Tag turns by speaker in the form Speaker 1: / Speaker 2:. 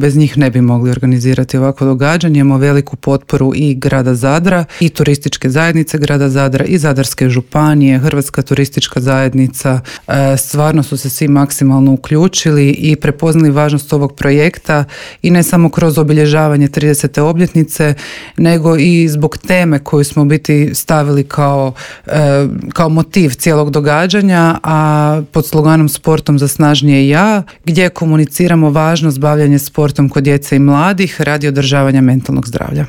Speaker 1: Bez njih ne bi mogli organizirati ovako događanje. Imamo veliku potporu i grada Zadra i turističke zajednice grada Zadra i Zadarske županije, Hrvatska turistička zajednica. Stvarno su se svi maksimalno uključili i prepoznali važnost ovog projekta i ne samo kroz obilježavanje 30. obljetnice, nego i zbog teme koju smo biti stavili kao motiv cijelog događanja, a pod sloganom Sportom za snažnije ja, gdje komuniciramo važnost bavljanja sportom kod djece i mladih radi održavanja mentalnog zdravlja.